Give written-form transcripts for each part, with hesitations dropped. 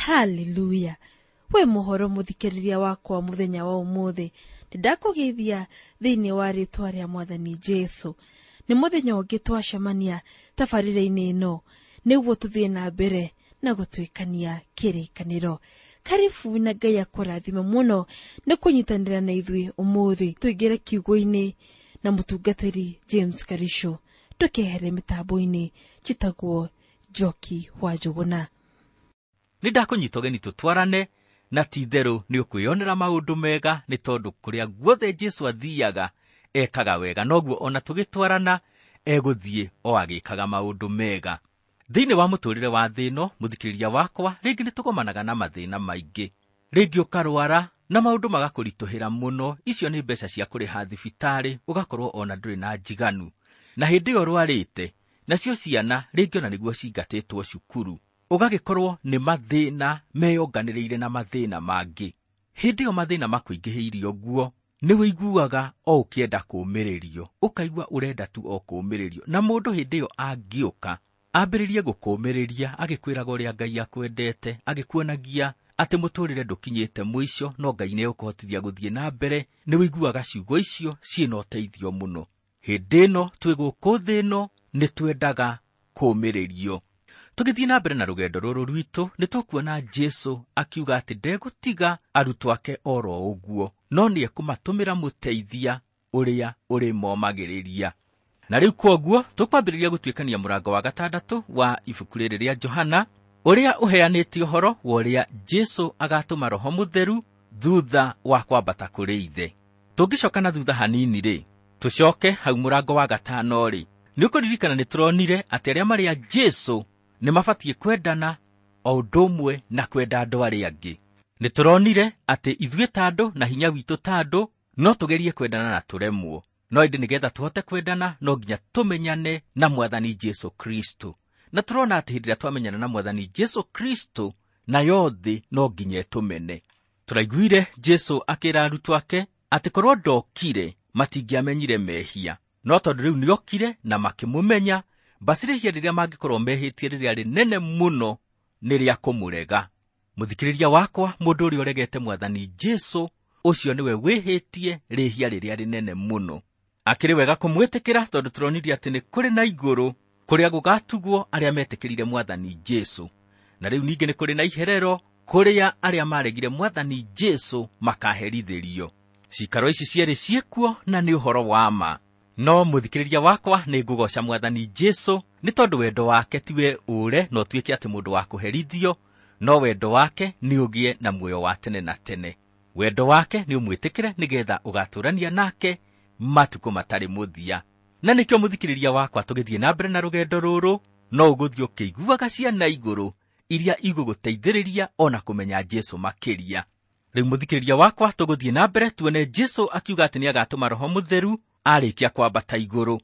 Haleluya! We mũhoro mũthikĩrĩria wakwa mũthenya wa ũmũthĩ, nĩndakũgeithia thĩinĩ wa rĩtwa rĩa Mwathani Jesu. Nĩ mũthenya ũngĩ twacemania tabarĩra-inĩ ĩno nĩguo tũthiĩ na mbere na gũtuĩkania kĩrĩkanĩro. Karibu na Ngai akũrathime mũno nĩ kũnyitanĩra na ithuĩ ũmũthĩ. Tũingĩre kiugo-inĩ na mũtungatĩri James Karisho. Ndũkehere mĩtambo-inĩ, njĩtagwo Njoki wa Njũgũna. Nĩ ndakũnyita ũgeni tũtwarane na ti itherũ nĩ ũkwĩyonera maũndũ mega, nĩ tondũ kũrĩa guothe Jesu athiaga ekaga wega, noguo ona tũgĩtwarana egũthiĩ o agĩkaga maũndũ mega. Thĩinĩ wa mũtũrĩre wa thĩ ĩno, mũthikĩrĩria wakwa, rĩngĩ nĩ tũgomanaga na mathĩna maingĩ. Rĩngĩ ũkarwara na maũndũ magakũritũhĩra mũno, icio nĩ mbeca cia kũrĩha thibitarĩ, ũgakorwo ona ndũrĩ na njiganu. Na hĩndĩ ĩyo ũrwarĩte, nacio ciana rĩngĩ ona nĩguo cingatĩtwo cukuru. Ũgagĩkorwo nĩ mathĩna meyonganĩrĩire na mathĩna mangĩ. Hĩndĩ ĩyo mathĩna makũingĩhĩirie ũguo, nĩ ũiguaga o ũkĩenda kũũmĩrĩrio, ũkaigua ũrenda tu o kũũmĩrĩrio. Na mũndũ hĩndĩ ĩyo angĩũka, ambĩrĩrie gũkũũmĩrĩria, agĩkwĩraga ũrĩa Ngai akwendete, agĩkuonagia atĩ mũtũrĩre ndũkinyĩte mũico, no Ngai nĩegũkũhotithia gũthiĩ na mbere, nĩ ũiguaga ciugo icio ciĩna ũteithio mũno. Hĩndĩ ĩno twĩ gũkũ thĩ ĩno nĩ twendaga kũũmĩrĩrio. Tũgĩthiĩ na mbere na rũgendo rũrũ rwitũ, nĩ tũkuona Jesu akiuga atĩ ndegũtiga arutwo ake oro ũguo, no nĩ ekũmatũmĩra mũteithia ũrĩa ũrĩmomagĩrĩria. Na rĩu kwoguo tũkwambĩrĩria gũtuĩkania mũrango wa gatandatũ wa ibuku rĩrĩ rĩa Johana, ũrĩa ũheanĩte ũhoro wa ũrĩa Jesu agatũma Roho Mũtheru thutha wa kwambata kũrĩ Ithe. Tũngĩcoka na thutha hanini rĩ, tũcoke hau mũrango wa gatano rĩ, nĩ ũkũririkana nĩ tũronire atĩ arĩa marĩ a Jesu nĩ mabatiĩ kwendana o ũndũ ũmwe na kwenda andũ arĩa angĩ. Nĩ tũronire atĩ ithuĩ ta andũ na hinya witũ ta andũ no tũgerie kwendana na tũremwo. No ĩndĩ nĩgetha tũhote kwendana no nginya tũmenyane na Mwathani Jesu Kristo. Na tũrona atĩ hĩndĩ ĩrĩa twamenyana na Mwathani Jesu Kristo, nayo thĩ no nginya ĩtũmene. Tũraiguire Jesu akĩra arutwo ake atĩ korwo ndokire matingĩamenyire mehia, no tondũ rĩu nĩokire na makĩmũmenya, basi rĩhia rĩrĩa mangĩkorwo mehĩtie rĩrĩa rĩnene mũno nĩ rĩa kũmũrega. Mũthikĩrĩria wakwa, mũndũ ũrĩa ũregete Mwathani Jesu, ũcio nĩwe wĩhĩtie rĩhia rĩrĩa rĩnene mũno. Akĩrĩ wega kũmwĩtĩkĩra tondũ tũronirie atĩ nĩ kũrĩ na igũrũ kũrĩa gũgatugwo arĩa metĩkĩrire Mwathani Jesu. Na rĩu ningĩ nĩ kũrĩ na iherero kũrĩa arĩa maregire Mwathani Jesu makaherithĩrio. Cikaro ici cierĩ ciĩkuo na nĩ ũhoro wa ma. No mũthikĩrĩria wakwa, nĩ ngũgoca Mwathani Jesu nĩ tondũ wendo wake tiwe ũre na ũtuĩke atĩ mũndũ wa kũherithio, no wendo wake nĩ ũgĩe na muoyo wa tene na tene. Wendo wake nĩ ũmwĩtĩkĩre nĩgetha ũgatũrania nake matukũ matarĩ mũthia. Na nĩkĩo mũthikĩrĩria wakwa, tũgĩthiĩ na mbere na rũgendo rũrũ, no ũgũthiĩ ũkĩiguaga ciana igũrũ iria igũgũteithĩrĩria ona kũmenya Jesu makĩria. Rĩu mũthikĩrĩria wakwa, tũgũthiĩ na mbere tuone Jesu akiuga atĩ nĩagatũma Roho Mũtheru arĩkia kwambata igũrũ.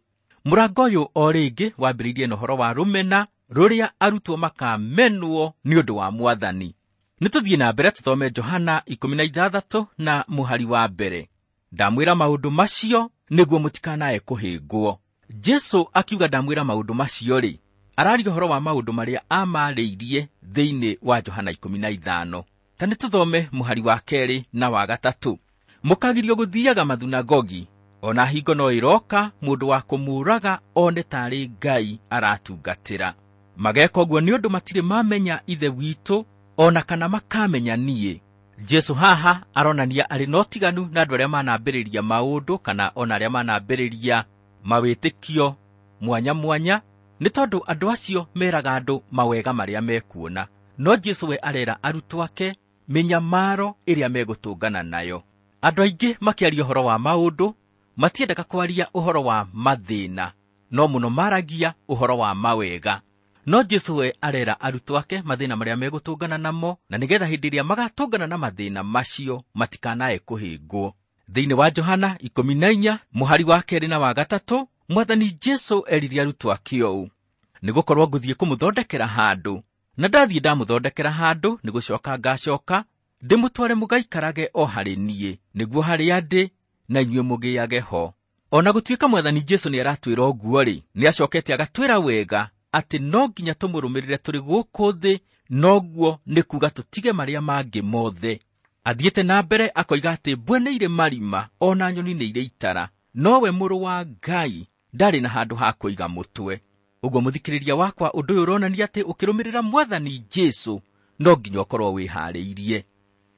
Mũrango ũyũ o rĩngĩ wambĩrĩirie na ũhoro wa rũmena rũrĩa arutwo makamenwo nĩ ũndũ wa Mwathani. Nĩ tũthiĩ na mbere tũthome Johana 16 na mũhari wa mbere. Ndamwĩra maũndũ macio nĩguo mũtikanae kũhĩngwo. Jesu akiuga ndamwĩra maũndũ macio rĩ, araria ũhoro wa maũndũ marĩa amarĩirie thĩinĩ wa Johana 15. Ta nĩ tũthome mũhari wa kerĩ na wa gatatũ. Mũkagirio gũthiaga mathunagogi, ona hingo no ĩroka mũndũ wa kũmũraga one tarĩ Ngai aratungatĩra. Mageka ũguo nĩ ũndũ matirĩ mamenya Ithe witũ ona kana makamenya niĩ. Jesu haha aronania arĩ na ũtiganu na andũ arĩa manambĩrĩria maũndũ kana ona arĩa manambĩrĩria mawĩtĩkio mwanya mwanya, nĩ tondũ andũ acio meraga andũ mawega marĩa mekuona. No Jesu we arera arutwo ake mĩnyamaro ĩrĩa megũtũngana nayo. Andũ aingĩ makĩaria ũhoro wa maũndũ matiendaga kwaria ũhoro wa mathĩna, no mũno maragia ũhoro wa mawega. No Jesu we arera arutwo ake mathĩna marĩa megũtũngana namo, na nĩgetha hĩndĩ ĩrĩa magatũngana na mathĩna macio matikanae kũhĩngwo. Thĩinĩ wa Johana 14 mũhari wa kerĩ na wa gatatũ, Mwathani Jesu erire arutwo ake ũũ: nĩgũkorwo ngũthiĩ kũmũthondekera handũ, na ndathiĩ ndamũthondekera handũ, nĩgũcoka ngacoka ndĩmũtware mũgaikarage o harĩ niĩ, nĩguo harĩa ndĩ na inyuĩ mũgĩage ho. Ona gũtuĩka Mwathani Jesu nĩaratwĩra ũguo rĩ, nĩacokete agatwĩra wega atĩ no nginya tũmũrũmĩrĩre tũrĩ gũkũ thĩ Noguo nĩ kuga tũtige marĩa mangĩ mothe. Athiĩte na mbere akoiga atĩ mbwe nĩ irĩ marima ona nyoni nĩ irĩ itara, nowe mũrũ wa Ngai ndarĩ na handũ ha kũiga mũtwe. Ũguo mũthikĩrĩria wakwa, ũndũ ũyũ ũronania atĩ ũkĩrũmĩrĩra Mwathani Jesũ no nginya ũkorwo wĩharĩirie.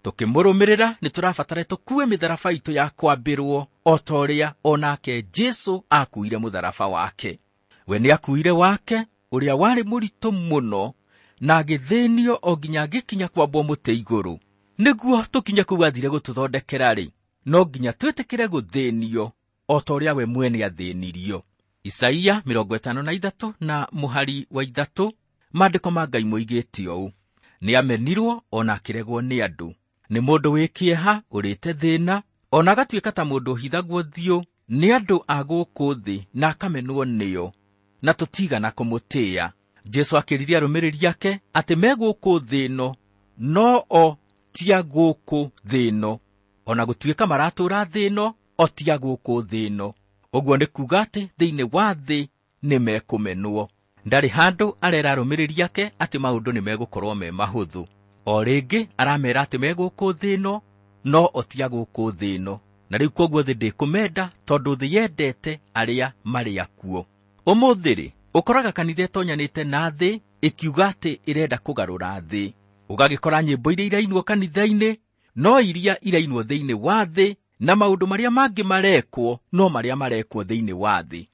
Tũkĩmũrũmĩrĩra nĩ tũrabatara tũkue mĩtharaba itũ ya kwambĩrwo o ta ũrĩa onake Jesũ akuire mũtharaba wake. We nĩ akuire wake ũrĩa warĩ mũritũ mũno na agĩthĩnio o nginya agĩkinya kwambwo mũtĩ igũrũ. Nĩguo tũkinye kũu athire gũtũthondekera-rĩ, no nginya twĩtĩkĩre gũthĩnio o ta ũrĩa we mwene athĩnirio. Isaia 53 na mũhari wa 3, maandĩko ma Ngai moigĩte ũũ: nĩamenirwo ona akĩregwo nĩ andũ, nĩ mũndũ wĩ kĩeha ũrĩte thĩna, ona agatuĩka ta mũndũ ũhithagwo ũthiũ nĩ andũ a gũkũ thĩ na akamenwo nĩo, na tũtigana kũmũtĩĩa. Jesũ akĩrire arũmĩrĩri ake atĩ me gũkũ thĩ ĩno, no o ti a gũkũ thĩ ĩno. Ona gũtuĩka maratũũra thĩ ĩno, o ti a gũkũ thĩ ĩno. Ũguo nĩ kuuga atĩ thĩinĩ wa thĩ nĩ mekũmenwo. Ndarĩ handũ arera arũmĩrĩri ake atĩ maũndũ nĩ megũkorwo me mahũthũ. O rĩngĩ aramera atĩ me gũkũ thĩ ĩno, no o ti a gũkũ thĩ ĩno. Na rĩu kwoguo thĩ ndĩkũmenda tondũ thĩ yendete arĩa marĩ akuo. Ũmũthĩ rĩ, ũkoraga kanitha ĩtonyanĩte na thĩ ĩkiuga atĩ ĩrenda kũgarũra thĩ. Ũgagĩkora nyĩmbo iria irainwo kanitha-inĩ no iria irainwo thĩinĩ wa thĩ, na maũndũ marĩa mangĩ marekwo no marĩa marekwo thĩinĩ wa thĩ.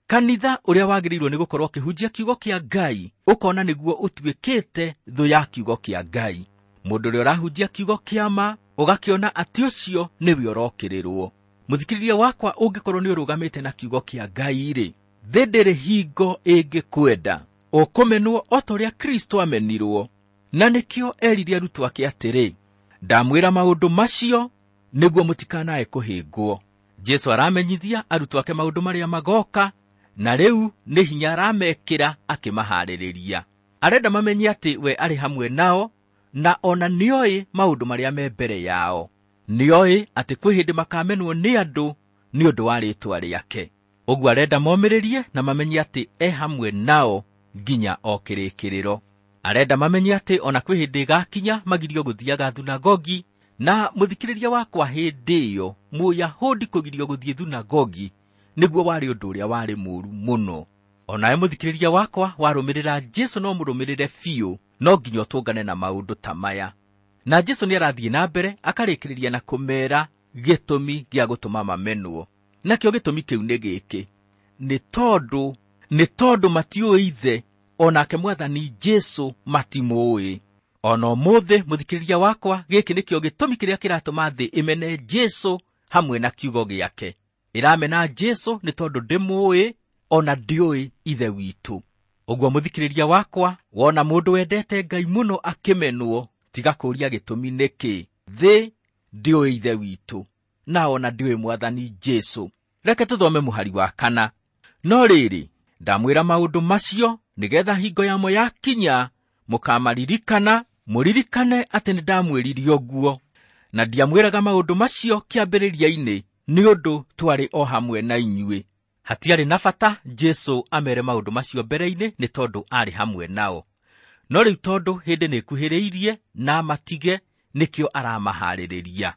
Kanitha ũrĩa wagĩrĩirwo nĩ gũkorwo ũkĩhunjia kiugo kĩa Ngai ũkona nĩguo ũtuĩkĩte thũ ya kiugo kĩa Ngai. Mũndũ ũrĩa ũrahunjia kiugo kĩa ma ũgakĩona atĩ ũcio nĩwe ũrokĩrĩrwo. Mũthikĩrĩria wakwa, ũngĩkorwo nĩ ũrũgamĩte na kiugo kĩa Ngai rĩ, thĩ ndĩrĩ hingo ĩngĩkwenda. Ũkũmenwo o ta ũrĩa Kristo amenirwo. Na nĩkĩo erire arutwo ake atĩrĩ, ndamwĩra maũndũ macio nĩguo mũtikanae kũhĩngwo. Jesũ aramenyithia arutwo ake maũndũ marĩa magoka, na rĩu nĩ hinya aramekĩra akĩmaharĩrĩria. Arenda mamenye atĩ we arĩ hamwe nao, na ona nĩoĩ maũndũ marĩa me mbere yao. Nĩoĩ atĩ kwĩ hĩndĩ makamenwo nĩ andũ nĩ ũndũ wa rĩĩtwa rĩake. Ũguo arenda momĩrĩrie na mamenye atĩ e hamwe nao nginya o kĩrĩkĩrĩro. Arenda mamenye atĩ ona kwĩ hĩndĩ ĩgakinya magirio gũthiaga thunagogi, na mũthikĩrĩria wakwa hĩndĩ ĩyo Mũyahudi kũgirio gũthiĩ thunagogi nĩguo warĩ ũndũ ũrĩa warĩ mũũru mũno. Onawe mũthikĩrĩria wakwa warũmĩrĩra Jesũ no mũrũmĩrĩre biũ, no nginya ũtũngane na maũndũ ta maya. Na Jesũ nĩarathiĩ na mbere akarĩkĩrĩria na kũmera gĩtũmi gĩa gũtũma mamenwo. Nakĩo gĩtũmi kĩu nĩ gĩkĩ: nĩ tondũ matiũĩ Ithe, onake Mwathani Jesũ matimũĩ. Ona ũmũthĩ mũthikĩrĩria wakwa, gĩkĩ nĩkĩo gĩtũmi kĩrĩa kĩratũma thĩ ĩmene Jesũ hamwe na kiugo gĩake. Ĩramena Jesũ nĩ tondũ ndĩmũĩ ona ndĩũĩ Ithe witũ. Ũguo mũthikĩrĩria wakwa, wona mũndũ wendete Ngai mũno akĩmenwo, tiga kũũria gĩtũmi nĩkĩ. Thĩ ndĩũĩ Ithe witũ, na ona ndĩũĩ Mwathani Jesũ. Reke tũthome mũhari wa 4. No rĩrĩ, ndamwĩra maũndũ macio nĩgetha hingo yamo yakinya mũkamaririkana, mũririkane atĩ nĩndamwĩrire ũguo. Na ndiamwĩraga maũndũ macio kĩambĩrĩria-inĩ nĩ ũndũ twarĩ o hamwe na inyuĩ. Hatiarĩ na bata Jesũ amere maũndũ macio mbere-inĩ nĩ tondũ aarĩ hamwe nao. No rĩu tondũ hĩndĩ nĩĩkuhĩrĩirie na matige, nĩkĩo aramaharĩrĩria.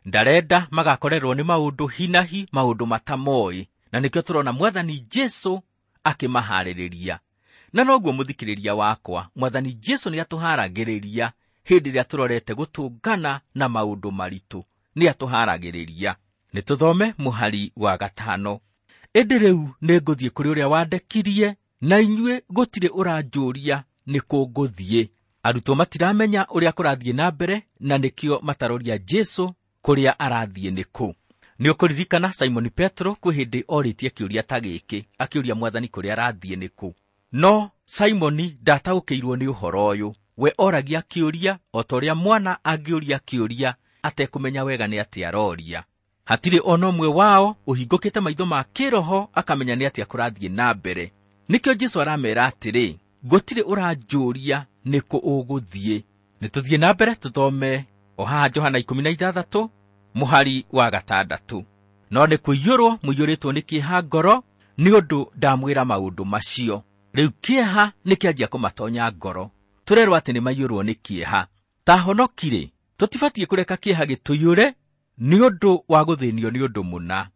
Ndarenda magakorerwo nĩ maũndũ hinahi, maũndũ matamoĩ, na nĩkĩo tũrona Mwathani Jesũ akĩmaharĩrĩria. Na noguo mũthikĩrĩria wakwa, Mwathani Jesũ nĩatũharagĩrĩria hĩndĩ ĩrĩa tũrorete gũtũngana na maũndũ maritũ. Nĩatũharagĩrĩria. Nĩtũthome mũhari wa 5. Ĩndĩ rĩu nĩngũthiĩ kũrĩ ũrĩa wandekirie, na inyuĩ gũtirĩ ũranjũria nĩ kũ ngũthiĩ. Arutwo matiramenya ũrĩa kũrathiĩ na mbere, na nĩkĩo mataroria Jesũ kũrĩa arathiĩ nĩ kũ. Nĩ ũkũririkana Simoni Petro kwĩ hĩndĩ orĩtie kĩũria ta gĩkĩ, akĩũria Mwathani kũrĩa arathiĩ nĩ kũ. No Simoni ndataũkĩirwo nĩ ũhoro ũyũ. We oragia kĩũria o ta ũrĩa mwana angĩũria kĩũria atekũmenya wega nĩ atĩa aroria. Hatirĩ ona ũmwe wao ũhingũkĩte maitho ma kĩroho akamenya nĩ atĩa kũrathiĩ na mbere. Nĩkĩo Jesũ aramera atĩrĩ, gũtirĩ ũranjũria nĩ kũ ũgũthiĩ. Nĩtũthiĩ na mbere tũthome o haha Johana 16 mũhari wa 6. No nĩ kũiyũrwo mũiyũrĩtwo nĩ kĩeha ngoro nĩ ũndũ ndamwĩra maũndũ macio. Rĩu kĩeha nĩkĩanjia kũmatonya ngoro. Tũrerwo atĩ nĩ maiyũrwo nĩ kĩeha. Ta honoki-rĩ, tũtibatiĩ kũreka kĩeha gĩtũiyũre nĩ ũndũ wa gũthĩnio nĩ ũndũ mũna.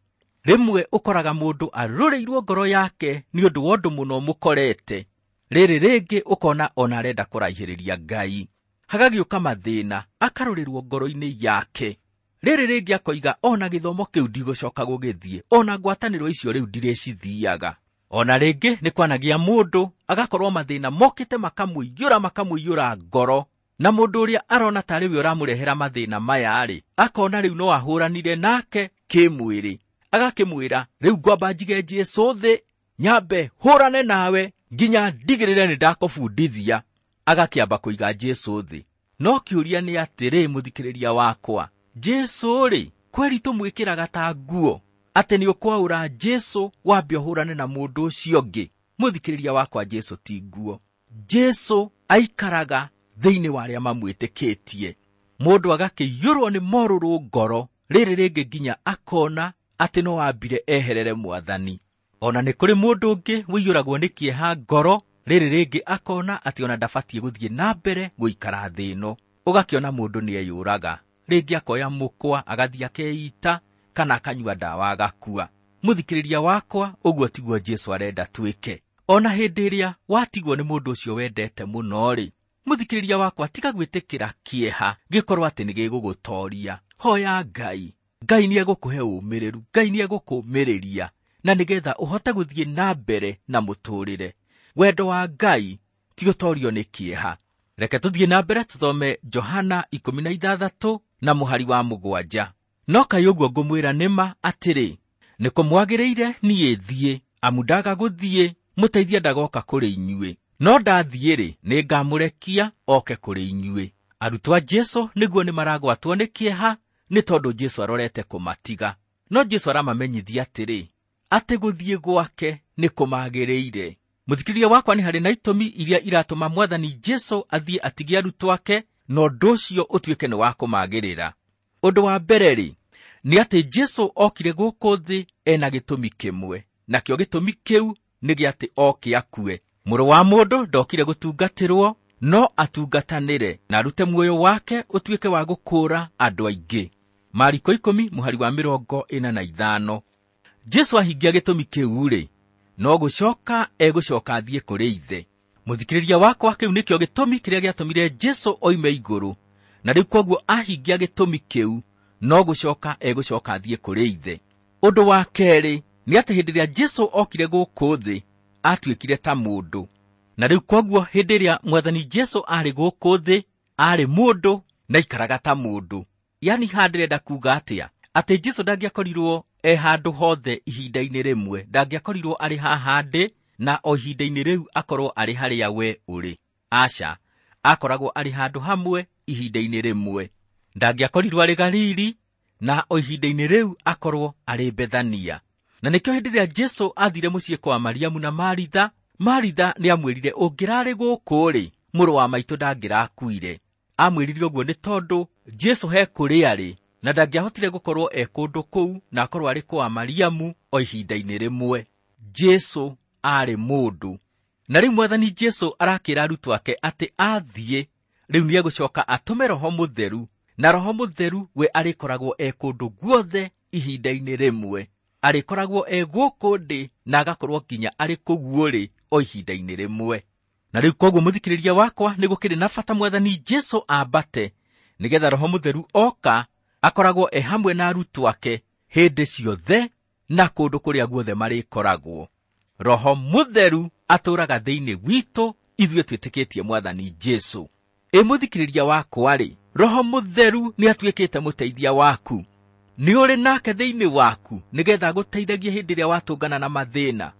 Rĩmwe ũkoraga mũndũ arũrĩirwo ngoro yake nĩ ũndũ wa ũndũ mũno mũkorete. Rĩrĩ rĩngĩ ũkona ona arenda kũraihĩrĩria Ngai. Hagagĩũka mathĩna, akarũrĩrwo ngoro-inĩ yake. Rĩrĩ rĩngĩ akoiga ona gĩthomo kĩu ndigũcoka gũgĩthiĩ, ona ngwatanĩro icio rĩu ndirĩcithiaga. Ona rĩngĩ nĩ kwanagia mũndũ agakorwo mathĩna mokĩte makamũiyũra ngoro, na mũndũ ũrĩa arona tarĩ we ũramũrehera mathĩna maya-rĩ, akona rĩu no ahũranire nake kĩmwĩrĩ. Agakĩmwĩra rĩu ngwamba njige Jesũ thĩ, nyambe hũrane nawe nginya ndigĩrĩre nĩ ndakũbundithia. Agakĩamba kũiga Jesũ thĩ. No kĩũria nĩ atĩrĩ, mũthikĩrĩria wakwa, Jesũ-rĩ, kweri tũmwĩkĩraga ta nguo atĩ nĩ ũkwaũra Jesũ wambe ũhũrane na mũndũ ũcio ũngĩ? Mũthikĩrĩria wakwa, Jesũ ti nguo. Jesũ aikaraga thĩinĩ wa arĩa mamwĩtĩkĩtie. Mũndũ agakĩiyũrwo nĩ morũrũ ngoro, rĩrĩ rĩngĩ nginya akona atĩ no ambire eherere Mwathani. Ona nĩ kũrĩ mũndũ ũngĩ ũiyũragwo nĩ kĩeha ngoro, rĩrĩ rĩngĩ akona atĩ ona ndabatiĩ gũthiĩ na mbere gũikara thĩ ĩno. Ũgakĩona mũndũ nĩ eyũraga, rĩngĩ akoya mũkwa agathiĩ akeita kana akanyua ndawa agakua. Mũthikĩrĩria wakwa, ũguo tiguo Jesũ arenda twĩke. Ona hĩndĩ ĩrĩa watigwo nĩ mũndũ ũcio wendete mũno-rĩ, mũthikĩrĩria wakwa, tiga gwĩtĩkĩra kĩeha gĩkorwo atĩ nĩ gĩgũgũtoria. Hoya Ngai. Ngai nĩ egũkũhe ũmĩrĩru, Ngai nĩ egũkũũmĩrĩria, na nĩgetha ũhote gũthiĩ na mbere na mũtũũrĩre. Wendo wa Ngai ti ũtorio nĩ kĩeha. Reke tũthiĩ na mbere tũthome Johana 16 na mũhari wa 7. No kaĩ ũguo ngũmwĩra nĩ ma atĩrĩ, nĩ kũmwagĩrĩire niĩ thiĩ, amu ndaga gũthiĩ, mũteithia ndagoka kũrĩ inyuĩ. No ndathiĩ-rĩ, nĩ ngamũrekia oke kũrĩ inyuĩ. Arutwo a Jesũ nĩguo nĩ maragwatwo nĩ kĩeha nĩ tondũ Jesũ arorete kũmatiga. No Jesũ aramamenyithia atĩrĩ, atĩ gũthiĩ gwake nĩ kũmagĩrĩire. Mũthikĩrĩria wakwa, nĩ harĩ na itũmi iria iratũma Mwathani Jesũ athiĩ atige arutwo ake, na ũndũ ũcio ũtuĩke nĩ wa kũmagĩrĩra. Ũndũ wa mbere-rĩ, nĩ atĩ Jesũ okire gũkũ thĩ ena gĩtũmi kĩmwe, nakĩo gĩtũmi kĩu nĩ gĩa atĩ oke akue. Mũrũ wa mũndũ ndokire gũtungatĩrwo, no atungatanĩre na arute muoyo wake ũtuĩke wa gũkũũra andũ aingĩ. Mariko 10 mũhari wa 45. Jesũ ahingia gĩtũmi kĩu-rĩ, no gũcoka egũcoka athiĩ kũrĩ ithe. Mũthikĩrĩria wakwa, kĩu nĩkĩo gĩtũmi kĩrĩa gĩatũmire Jesũ oime igũrũ, na rĩu kwoguo ahingia gĩtũmi kĩu, no gũcoka egũcoka athiĩ kũrĩ ithe. Ũndũ wa kerĩ nĩ atĩ hĩndĩ ĩrĩa Jesũ okire gũkũ thĩ, atuĩkire ta mũndũ. Na rĩu kwoguo hĩndĩ ĩrĩa Mwathani Jesũ arĩ gũkũ thĩ, arĩ mũndũ na aikaraga ta mũndũ. Yani haha ndĩrenda kuuga atĩa? Atĩ Jesũ ndangĩakorirwo e handũ hothe ihinda-inĩ rĩmwe, ndangĩakorirwo arĩ haha ndĩ na o ihinda-inĩ rĩu akorwo arĩ harĩa we ũrĩ. Aca, akoragwo arĩ handũ hamwe ihinda-inĩ rĩmwe. Ndangĩakorirwo arĩ Galili na o ihinda-inĩ rĩu akorwo arĩ Bethania. Na nĩkĩo hĩndĩ ĩrĩa Jesũ athire mũciĩ kwa Mariamu na Maritha, Maritha nĩ amwĩrire, ũngĩrarĩ gũkũ-rĩ, mũrũ wa maitũ ndangĩrakuire. Amwĩrire ũguo nĩ tondũ Jesũ he kũrĩa arĩ, na ndangĩahotire gũkorwo e kũndũ kũu na akorwo arĩ kwa Mariamu o ihinda-inĩ rĩmwe. Jesũ aarĩ mũndũ. Na rĩu Mwathani Jesũ arakĩra arutwo ake atĩ athiĩ, rĩu nĩ egũcoka atũme Roho Mũtheru, na Roho Mũtheru we arĩkoragwo e kũndũ guothe ihinda-inĩ rĩmwe. Arĩkoragwo e gũkũ ndĩ na agakorwo nginya arĩ kũu ũrĩ o ihinda-inĩ rĩmwe. Na rĩu kwoguo mũthikĩrĩria wakwa, nĩ gũkĩrĩ na bata Mwathani Jesũ ambate, nĩgetha Roho Mũtheru oka akoragwo e hamwe na arutwo ake hĩndĩ ciothe na kũndũ kũrĩa guothe marĩkoragwo. Roho Mũtheru atũũraga thĩinĩ witũ ithuĩ twĩtĩkĩtie Mwathani Jesũ. Ĩ mũthikĩrĩria wakwa-rĩ, Roho Mũtheru nĩ atuĩkĩte mũteithia waku. Nĩ ũrĩ nake thĩinĩ waku nĩgetha agũteithagie hĩndĩ ĩrĩa watũngana na mathĩna.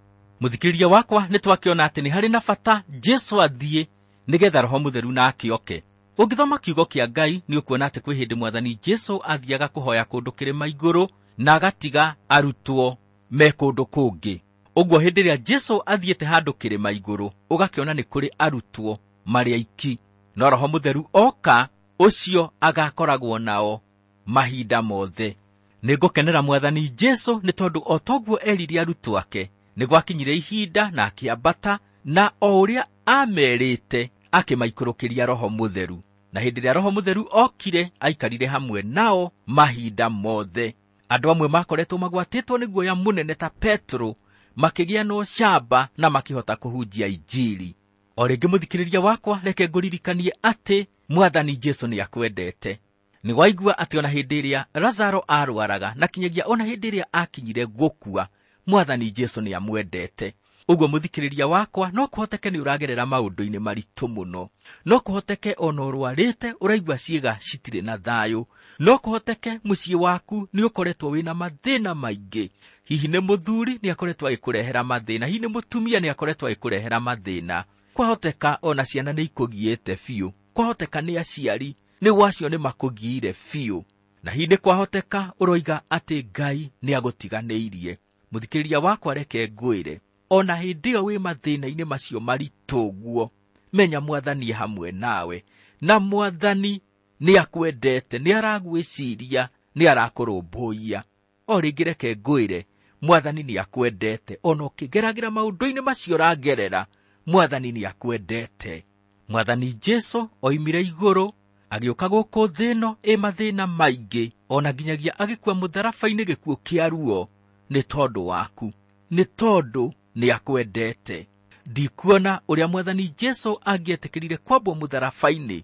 Mũthikĩrĩria wakwa, nĩ twakĩona atĩ nĩ harĩ na bata Jesũ athiĩ nĩgetha Roho Mũtheru nake oke. Ũngĩthoma kiugo kĩa Ngai nĩ ũkuona atĩ kwĩ hĩndĩ Mwathani Jesũ athiaga kũhoya kũndũ kĩrĩma igũrũ na agatiga arutwo me kũndũ kũngĩ. Ũguo hĩndĩ ĩrĩa Jesũ athiĩte handũ kĩrĩma igũrũ, ũgakĩona nĩ kũrĩ arutwo marĩ aiki. No Roho Mũtheru oka, ũcio agakoragwo nao mahinda mothe. Nĩngũkenera Mwathani Jesũ nĩ tondũ o toguo erire arutwo ake, nĩ gwakinyire ihinda na akĩambata, na o ũrĩa amerĩte akĩmaikũrũkĩria Roho Mũtheru. Na hĩndĩ ĩrĩa Roho Mũtheru okire, aikarire hamwe nao mahinda mothe. Andũ amwe makoretwo magwatĩtwo nĩ guoya mũnene ta Petro, makĩgĩa na ũcamba na makĩhota kũhunjia Injiri. O rĩngĩ mũthikĩrĩria wakwa, reke ngũririkanie atĩ Mwathani Jesũ nĩ akwendete. Nĩ waigua atĩ ona hĩndĩ ĩrĩa Lazaro arwaraga na kinyagia ona hĩndĩ ĩrĩa akinyire gũkua, Mwathani Jesũ nĩ amwendete. Ũguo mũthikĩrĩria wakwa, no kũhoteke nĩ ũragerera maũndũ-inĩ maritũ mũno. No kũhoteke ona ũrwarĩte ũraigua ciĩga citirĩ na thayũ. No kũhoteke mũciĩ waku nĩ ũkoretwo wĩna mathĩna maingĩ. Hihi nĩ mũthuri nĩ akoretwo agĩkũrehera mathĩna, hihi nĩ mũtumia nĩ akoretwo agĩkũrehera mathĩna. Kwahoteka ona ciana nĩ ikũgiĩte biũ. Kwahoteka nĩ aciari nĩ gwacio nĩ makũgiire biũ. Na hihi nĩ kwahoteka ũroiga atĩ Ngai nĩ agũtiganĩirie. Mũthikĩrĩria wakwa, reke ngwĩre, ona hĩndĩ ĩyo wĩ mathĩna-inĩ macio maritũ ũguo, menya Mwathani e hamwe nawe, na Mwathani nĩ akwendete, nĩ aragwĩciria, nĩ arakũrũmbũiya. O rĩngĩ reke ngwĩre, Mwathani nĩ akwendete, ona ũkĩgeragĩra maũndũ-inĩ macio ũragerera, Mwathani nĩ akwendete. Mwathani Jesũ oimire igũrũ agĩũka gũkũ thĩ ĩno ĩ mathĩna maingĩ, ona nginyagia agĩkua mũtharaba-inĩ gĩkuũ kĩa ruo nĩ tondũ waku, nĩ tondũ nĩ akwendete. Ndikuona ũrĩa Mwathani Jesũ angĩetĩkĩrire kwambwo mũtharaba-inĩ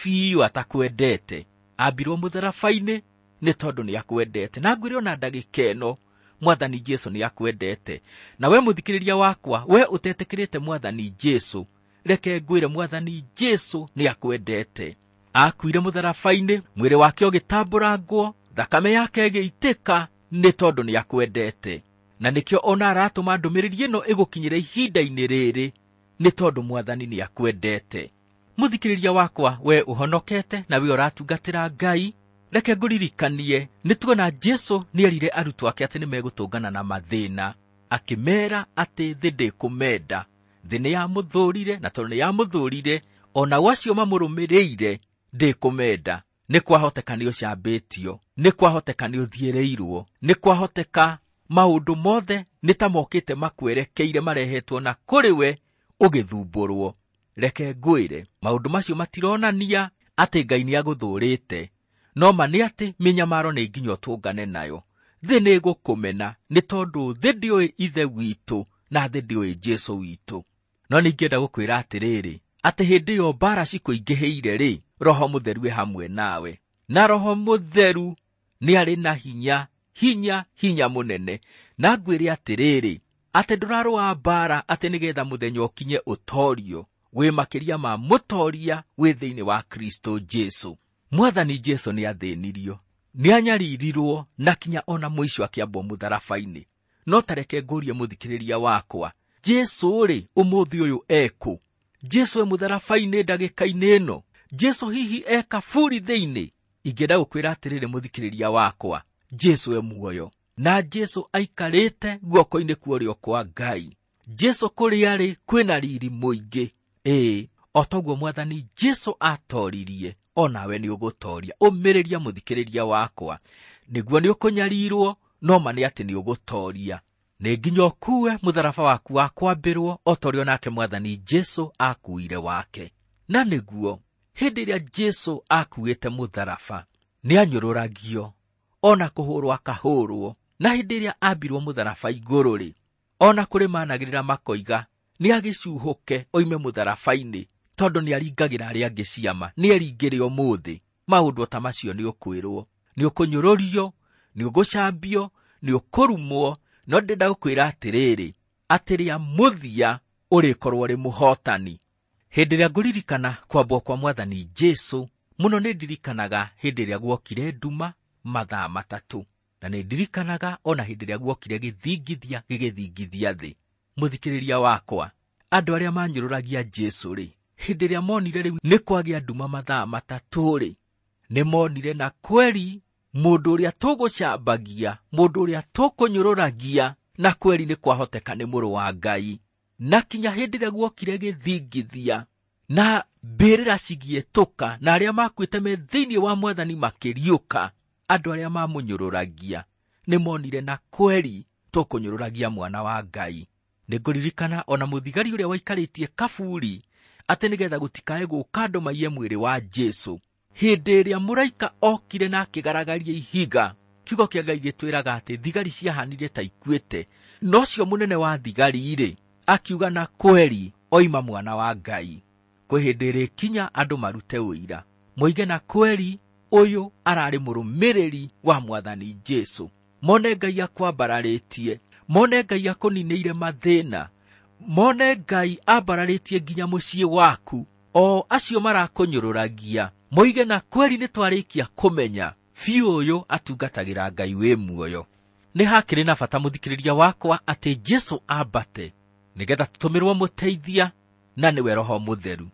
biũ atakwendete. Ambirwo mũtharaba-inĩ nĩ tondũ nĩ akwendete. Na ngwĩre ona ndagĩka ĩno, Mwathani Jesũ nĩ akwendete. Na we mũthikĩrĩria wakwa, we ũtetĩkĩrĩte Mwathani Jesũ, reke ngwĩre Mwathani Jesũ nĩ akwendete. Akuire mũtharaba-inĩ, mwĩrĩ wake ũgĩtambũrangwo, thakame yake ĩgĩitĩka, nĩ tondũ nĩ akwendete. Na nĩkĩo ona aratũma ndũmĩrĩri ĩno ĩgũkinyĩre ihinda-inĩ rĩrĩ, nĩ tondũ Mwathani nĩ akwendete. Mũthikĩrĩria wakwa, we ũhonokete na we ũratungatĩra Ngai, reke ngũririkanie, nĩ tuona Jesũ nĩerire arutwo ake atĩ nĩmegũtũngana na mathĩna, akĩmeera atĩ thĩ ndĩkũmenda, thĩ nĩ yamũthũrire, na tondũ nĩ yamũthũrire, ona acio mamũrũmĩrĩire ndĩkũmenda. Nĩ kwahoteka nĩ ũcambĩtio, nĩ kwahoteka nĩ ũthiĩrĩirwo, nĩ kwahoteka maũndũ mothe nĩ ta mokĩte makwerekeire marehetwo na kũrĩ we ũgĩthumbũrwo. Reke ngwĩre, maũndũ macio matironania atĩ Ngai nĩ agũthũrĩte, no ma nĩ atĩ mĩnyamaro nĩ nginya ũtũngane nayo. Thĩ nĩ ĩgũkũmena nĩ tondũ thĩ ndĩũĩ Ithe witũ na thĩ ndĩũĩ Jesũ witũ. No ningĩenda gũkwĩra atĩrĩrĩ, atĩ hĩndĩ ĩyo mbara cikũingĩhĩire rĩ, Roho Mũtheru e hamwe nawe. Na Roho Mũtheru nĩ arĩ na hinya, hinya, hinya mũnene. Na ngwĩre atĩrĩrĩ, atĩ ndũrarũa mbara atĩ nĩgetha mũthenya ũkinye ũtorio, wĩ makĩria ma mũtoria wĩ thĩinĩ wa Kristo Jesũ. Mwathani Jesũ nĩ athĩnirio, nĩ anyaririrwo, na kinya ona mũico akĩambwo mũtharaba-inĩ. No ta reke ngũrie mũthikĩrĩria wakwa, Jesũ rĩ, ũmũthĩ ũyũ ekũ? Jesũ e mũtharaba-inĩ ndagĩka-inĩ ĩno? Jesũ hihi e kaburi thĩinĩ? Ingĩenda gũkwĩra atĩrĩrĩ mũthikĩrĩria wakwa, Jesũ e muoyo, na Jesũ aikarĩte guoko-inĩ kwa ũrĩo kwa Ngai. Jesũ kũrĩa arĩ kwĩna riri mũingĩ. Ĩĩ, o toguo Mwathani Jesũ atoririe, onawe nĩ ũgũtoria. Ũmĩrĩria mũthikĩrĩria wakwa, nĩguo nĩ ũkũnyarirwo, no ma nĩ atĩ nĩ ũgũtoria. Nĩ nginya ũkue mũtharaba waku wa kwambĩrwo, o ta ũrĩa onake Mwathani Jesũ akuire wake. Na nĩguo hĩndĩ ĩrĩa Jesũ akuĩte mũtharaba, nĩ anyũrũragio, ona kũhũrwo akahũrwo. Na hĩndĩ ĩrĩa ambirwo mũtharaba igũrũ rĩ, ona kũrĩ managĩrĩra makoiga nĩ agĩcuhũke oime mũtharaba-inĩ, tondũ nĩ aringagĩra arĩa angĩ ciama, nĩ eringĩre ũmũthĩ. Maũndũ ta macio nĩ ũkwĩrwo, nĩ ũkũnyũrũrio, nĩ ũgũcambio, nĩ ũkũrumwo. No ndĩrenda gũkwĩra atĩrĩrĩ, atĩ rĩa mũthia ũrĩkorwo ũrĩ mũhotani. Hĩndĩ ĩrĩa ngũririkana kwambwo kwa Mwathani Jesũ, mũno nĩ ndirikanaga hĩndĩ ĩrĩa guokire nduma mathaa matatũ, na nĩ ndirikanaga ona hĩndĩ ĩrĩa guokire gĩthingithia gĩgĩthingithia thĩ. Mũthikĩrĩria wakwa, andũ arĩa manyũrũragia Jesũ rĩ, hĩndĩ ĩrĩa monire rĩu nĩ kwagĩa nduma mathaa matatũ rĩ, nĩ monire na kweri mũndũ ũrĩa tũgũcambagia, mũndũ ũrĩa tũkũnyũrũragia, na kweri nĩ kwahoteka nĩ mũrũ wa Ngai. Na kinya hĩndĩ ĩrĩa guokire gĩthingithia na mbĩrĩra cigĩetũka, na arĩa makuĩte me thĩinĩ wa Mwathani makĩriũka, andũ arĩa mamũnyũrũragia nĩ monire na kweri tũkũnyũrũragia mwana wa Ngai. Nĩ ngũririkana ona mũthigari ũrĩa waikarĩtie kaburi atĩ nĩgetha gũtikae gũka andũ maiye mwĩrĩ wa Jesũ. Hĩndĩ ĩrĩa mũraika okire na akĩgaragaria ihiga, kiugo kĩa Ngai gĩtwĩraga atĩ thigari ciahanire ta ikuĩte. No ũcio mũnene wa thigari-rĩ, akiuga na kweri oima mwana wa Ngai. Kwĩ hĩndĩ ĩrĩkinya andũ marute ũira, moige na kweri ũyũ ararĩ mũrũmĩrĩri wa Mwathani Jesũ. Mone Ngai akwambararĩtie, mone Ngai akũninĩire mathĩna, mone Ngai ambararĩtie nginya mũciĩ waku. O acio marakũnyũrũragia moige na kweri nĩ twarĩkia kũmenya biũ ũyũ atungatagĩra Ngai wĩ muoyo. Nĩ hakĩrĩ na bata mũthikĩrĩria wakwa atĩ Jesũ ambate nĩgetha tũtũmĩrwo mũteithia, na nĩwe Roho Mũtheru.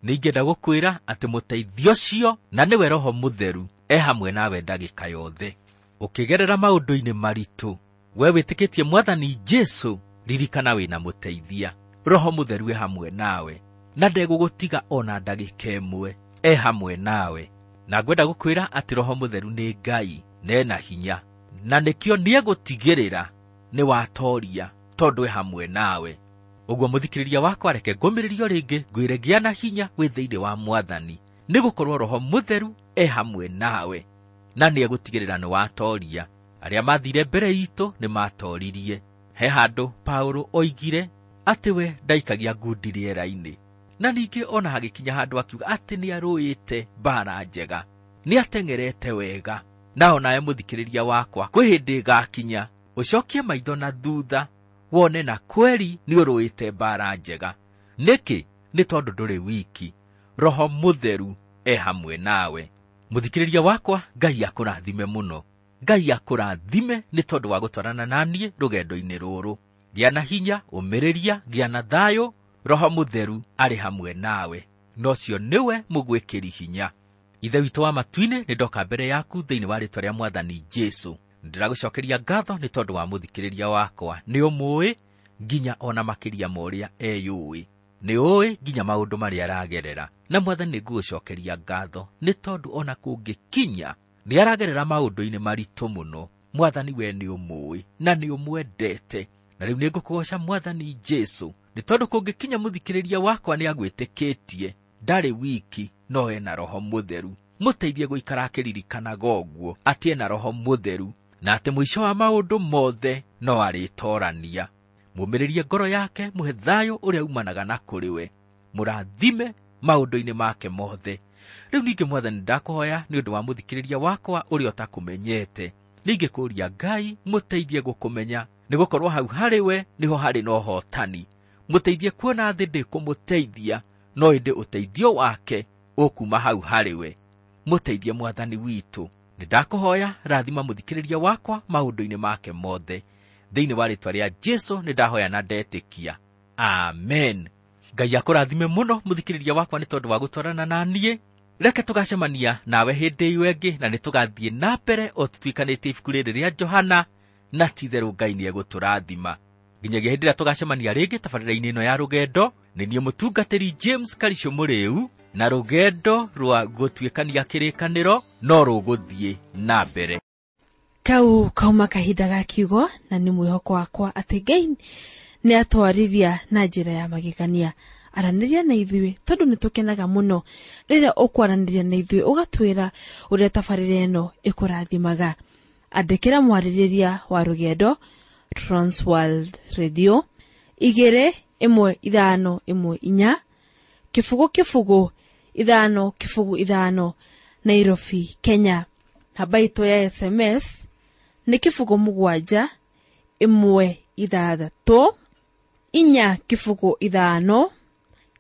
Nĩingĩenda gũkwĩra atĩ mũteithia ũcio na nĩwe Roho Mũtheru e hamwe nawe ndagĩka yothe. Ũkĩgerera maũndũ-inĩ maritũ, we wĩtĩkĩtie Mwathani Jesũ, ririkana wĩna mũteithia. Roho Mũtheru e hamwe nawe na ndegũgũtiga ona ndagĩka ĩmwe, e hamwe nawe. Na ngwenda gũkwĩra atĩ Roho Mũtheru nĩ Ngai na ena hinya, na nĩkĩo nĩegũtigĩrĩra nĩ watoria tondũ e hamwe nawe. Ũguo mũthikĩrĩria wakwa, reke ngũmĩrĩrio rĩngĩ ngwĩre gĩa na hinya wĩ thĩinĩ wa Mwathani, nĩgũkorwo Roho Mũtheru e hamwe nawe na nĩegũtigĩrĩra nĩ watoria. Arĩa mathire mbere itũ nĩ matoririe. He handũ Paulo oigire atĩ we ndaikagia ngundi rĩera-inĩ, na ningĩ ona hagĩkinya handũ akiuga atĩ nĩarũĩte mbara njega, nĩateng'erete wega. Na onawe mũthikĩrĩria wakwa, kwĩ hĩndĩ ĩgakinya ũcokie maitho na thutha wone na kweri nĩũrũĩte mbara njega. Nĩkĩ? Nĩ tondũ ndũrĩ wiki, Roho Mũtheru e hamwe nawe. Mũthikĩrĩria wakwa, Ngai akũrathime mũno. Ngai akũrathime nĩ tondũ wa gũtwarana na niĩ rũgendo-inĩ rũrũ. Gĩa na hinya, ũmĩrĩria, gĩa na thayũ, Roho Mũtheru arĩ hamwe nawe, na ũcio nĩwe mũgwĩkĩri hinya. Ithe witũ wa matu-inĩ, nĩ ndoka mbere yaku thĩinĩ wa rĩtwa rĩa Mwathani Jesũ. Ndĩragũcokeria ngatho nĩ tondũ wa mũthikĩrĩria wakwa. Nĩ ũmũĩ nginya ona makĩria ma ũrĩa eyũĩ, nĩ ũĩ nginya maũndũ marĩa aragerera. Na Mwathani, nĩngũgũcokeria ngatho nĩ tondũ ona kũngĩkinya nĩ aragerera maũndũ-inĩ maritũ mũno, Mwathani we nĩ ũmũĩ na nĩ ũmwendete. Na rĩu nĩngũkũgoca Mwathani Jesũ nĩ tondũ kũngĩkinya mũthikĩrĩria wakwa nĩ agwĩtĩkĩtie, ndarĩ wiki no ena Roho Mũtheru. Mũteithie gũikara akĩririkanaga ũguo atĩ ena Roho Mũtheru na atĩ mũico wa maũndũ mothe no arĩtorania. Mũmĩrĩrie ngoro yake, mũhe thayũ ũrĩa umanaga na kũrĩ we, mũrathime maũndũ-inĩ make mothe. Rĩu ningĩ Mwathani, ndakũhoya nĩ ũndũ wa mũthikĩrĩria wakwa ũrĩa ũtakũmenyete. Ningĩ kũria Ngai mũteithie gũkũmenya, nĩgũkorwo hau harĩ we nĩho harĩ na ũhotani. Mũteithie kuona thĩ ndĩkũmũteithia, no ĩndĩ ũteithio wake ũkuma hau harĩ we. Mũteithie Mwathani witũ. Nĩ ndakũhoya rathima mũthikĩrĩria wakwa maũndũ-inĩ make mothe. Thĩinĩ wa rĩtwa rĩa Jesũ nĩ ndahoya na ndetĩkia. Amen. Ngai akũrathime mũno mũthikĩrĩria wakwa nĩ tondũ wa gũtwarana na niĩ. Reke tũgacemania nawe hĩndĩ ĩyo ĩngĩ, na nĩ tũgathiĩ na mbere o tũtuĩkanĩtie ibuku rĩrĩ rĩa Johana, na ti-itherũ Ngai nĩegũtũrathima. Nginyagia hĩndĩ ĩrĩa tũgacemania rĩngĩ tabarĩra-inĩ ĩno ya rũgendo, nĩ niĩ mũtungatĩri James Karisho Mũrĩu, na rũgendo rwa gũtuĩkania kĩrĩkanĩro no rũgũthiĩ na mbere. Kau kauma kahinda ga kiugo, na nĩ mwĩhoko wakwa atĩ Ngai nĩ atwarĩria na njĩra ya magegania. Aranĩria na ithuĩ tondũ nĩ tũkenaga mũno rĩrĩa ũkwaranĩria na ithuĩ ũgatwĩra ũrĩa tabarĩra ĩno ĩkũrathimaga. Andĩkĩra mwarĩrĩria wa rũgendo Transworld Radio 21514 0 0 5 0 5 Nairobi, Kenya. Namba itũ ya SMS nĩ 0 7 1 6 4 0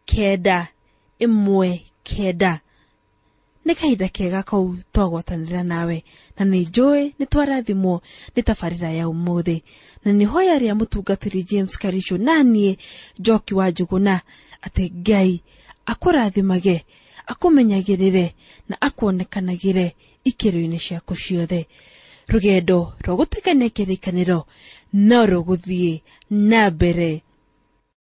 5 9 1 9. Nĩ kahinda kega kau twagwatanĩra nawe, na nĩ njũĩ nĩ twarathimwo nĩ tabarĩra ya ũmũthĩ. Na nĩ hoya rĩa mũtungatĩri James Karisho na niĩ Njoki wa Njũgũna atĩ Ngai akũrathimage, akũmenyagĩrĩre na akuonekanagĩre ikĩro-inĩ ciaku ciothe. Rũgendo rwa gũtuĩkania kĩrĩkanĩro no rũgũthiĩ na mbere.